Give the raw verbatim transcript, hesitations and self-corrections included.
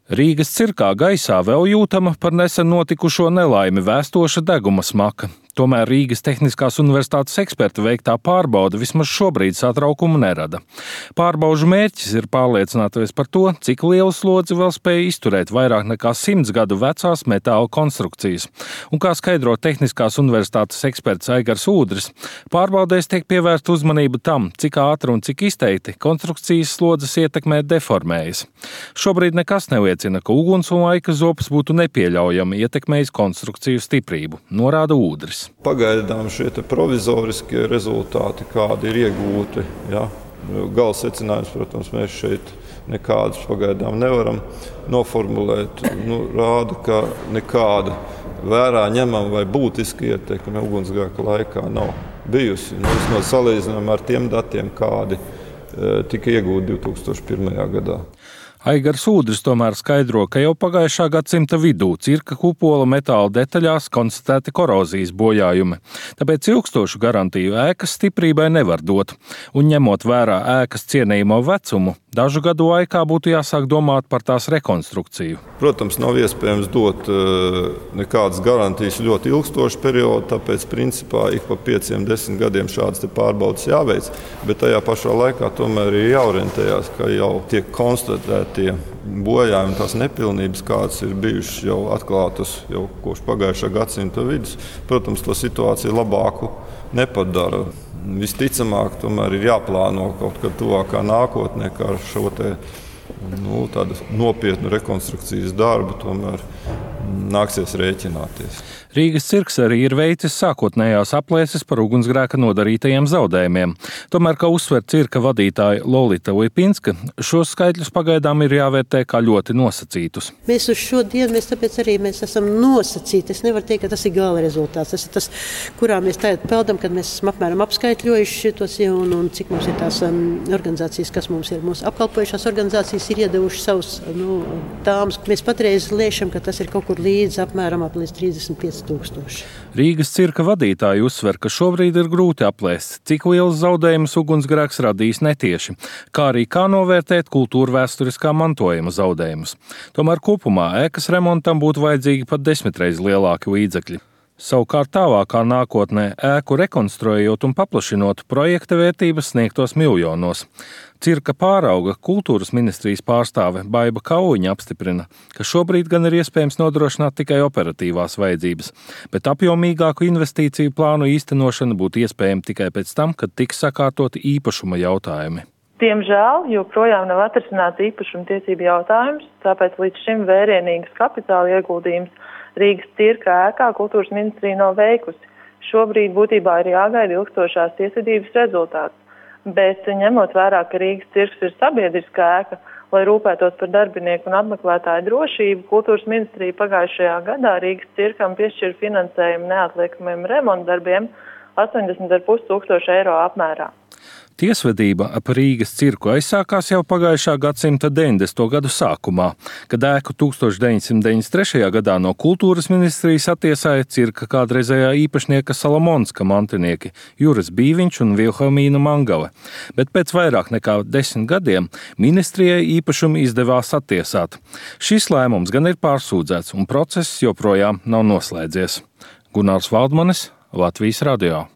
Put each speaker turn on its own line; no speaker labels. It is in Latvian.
Rīgas cirkā gaisā vēl jūtama par nesen notikušo nelaimi vēstoša deguma smaka. Tomēr Rīgas Tehniskās universitātes eksperta veiktā pārbaude vismaz šobrīd satraukumu nerada. Pārbaužu mērķis ir pārliecināties par to, cik lielu slodzi vēl spēj izturēt vairāk nekā simts gadu vecās metāla konstrukcijas. Un kā skaidro Tehniskās universitātes eksperts Aigars Ūdris, pārbaudēs tiek pievērsta uzmanība tam, cik ātri un cik izteikti konstrukcijas slodzes ietekmē deformējas. Šobrīd nekas neliecina, ka uguns un laika zopas būtu nepieļaujami ietekmējis konstrukciju stiprību, norāda Ūdris.
Pagaidām šie provizoriskie rezultāti, kādi ir iegūti, ja, gala secinājums, protams, mēs šeit nekādus pagaidām nevaram noformulēt, nu, rāda, ka nekāda vērā ņemama vai būtiska ietekme ugunsgrēka laikā nav bijusi. Nu, vismaz salīdzinām ar tiem datiem, kādi e, tika iegūti divi tūkstoši pirmajā gadā.
Aigars Ūdris tomēr skaidro, ka jau pagājušā gadsimta vidū cirka kupola metāla detaļās konstatēti korozijas bojājumi. Tāpēc ilgstošu garantiju ēkas stiprībai nevar dot. Un ņemot vērā ēkas cienījamo vecumu, dažu gadu laikā būtu jāsāk domāt par tās rekonstrukciju.
Protams, nav iespējams dot nekādas garantijas ļoti ilgstošu periodu, tāpēc principā ik pa pieciem, desmit gadiem šādas pārbaudes jāveic, bet tajā pašā laikā tomēr ir jāorientējās, ka jau tiek konstatēti tie bojājumi, tās nepilnības, kādas ir bijušas jau atklātas jau kopš pagājušā gadsimta vidus, protams, to situāciju labāku nepadara. Visticamāk, tomēr ir jāplāno kaut kad tuvākā nākotnē, kā ar šo te, nu, tādu nopietnu rekonstrukcijas darbu tomēr nāksies rēķināties.
Rīgas cirks arī ir veicis sākotnējās aplēses par ugunsgrēka nodarītajiem zaudējumiem. Tomēr, kā uzsver cirka vadītāja Lolita Lipinska, šos skaitļus pagaidām ir jāvērtē kā ļoti nosacītus.
Mēs uz šo dienu, mēs tāpēc arī mēs esam nosacīti. Es nevaru teikt, ka tas ir gala rezultāts. Tas ir tas, kurā mēs tagad peldam, kad mēs esam apmēram apskaitļojuši šitos un, un cik mums ir tās um, organizācijas, kas mums ir. Mūsu apkalpojušās organizācijas ir iedevuši savus nu, tāmas. Mēs patreiz liešam, ka tas ir kaut kur līdz apmēram ap līdz trīsdesmit pieci tūkstoši.
Rīgas cirka vadītāji uzsver, ka šobrīd ir grūti aplēst, cik liels zaudējums ugunsgrēks radīs netieši, kā arī kā novērtēt kultūra vēsturiskā mantojuma zaudējumus. Tomēr kopumā ēkas remontam būtu vajadzīgi pat desmitreiz lielāki līdzekļi. Savukārt tālākā nākotnē ēku rekonstruējot un paplašinot projekta vērtības sniegtos miljonos. Cirka pārauga kultūras ministrijas pārstāve Baiba Kauliņa apstiprina, ka šobrīd gan ir iespējams nodrošināt tikai operatīvās vajadzības, bet apjomīgāku investīciju plānu īstenošana būtu iespējama tikai pēc tam, kad tiks sakārtoti īpašuma jautājumi.
Diemžēl joprojām nav atrisināts īpašuma tiesību jautājums, tāpēc līdz šim vērienīgas kapitāla ieguldījums Rīgas cirka ēkā kultūras ministrija nav veikusi. Šobrīd būtībā ir jāgaida ilgstošās tiesvedības rezultāts, bet ņemot vērā, ka Rīgas cirks ir sabiedriskā ēka, lai rūpētos par darbinieku un apmeklētāju drošību, kultūras ministrija pagājušajā gadā Rīgas cirkam piešķira finansējumu neatliekamiem remontdarbiem astoņdesmit ar pus tūkstoši eiro apmērā.
Tiesvedība ap Rīgas cirku aizsākās jau pagājušā gadsimta deviņdesmito gadu sākumā, kad ēku tūkstoš deviņsimt deviņdesmit trešajā gadā no kultūras ministrijas attiesāja cirka kādreizējā īpašnieka Salamonska mantinieki Juris Bīviņš un Vilhelmīna Mangale. Bet pēc vairāk nekā desmit gadiem ministrijai īpašumu izdevās attiesāt. Šis lēmums gan ir pārsūdzēts un process joprojām nav noslēdzies. Gunārs Valdmanis, Latvijas radio.